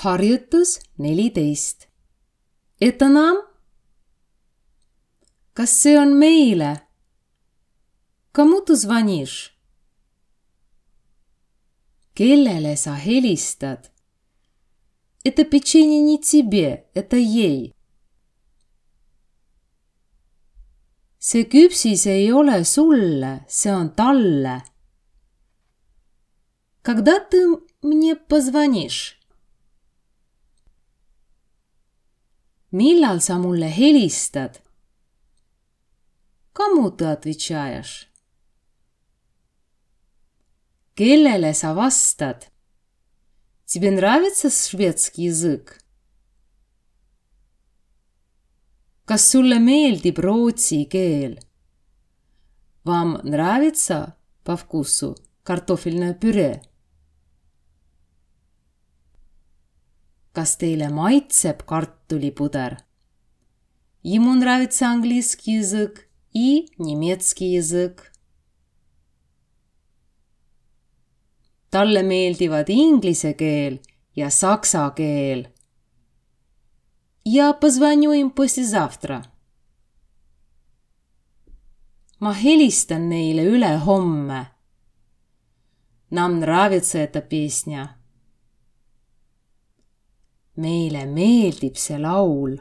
Harjutus 14. Это нам? Kas see on meile? Кому ты звонишь? Kellele sa helistad? Это печенье не тебе, это ей. See küpsis ei ole sulle, see on talle. Когда ты мне позвонишь? Millal sa mulle helistad? Кому ты отвечаешь? Kellele sa vastad? Тебе нравится шведский язык? Kas sulle meeldib rootsi keel? Вам нравится по вкусу картофельное пюре? Kas teile maitseb kartulipuder? Ему нравится английский язык и немецкий язык. Talle meeldivad inglise keel ja saksa keel. Я позвоню им послезавтра. Ma helistan neile ülehomme. Нам нравится эта песня. Meile meeldib see laul.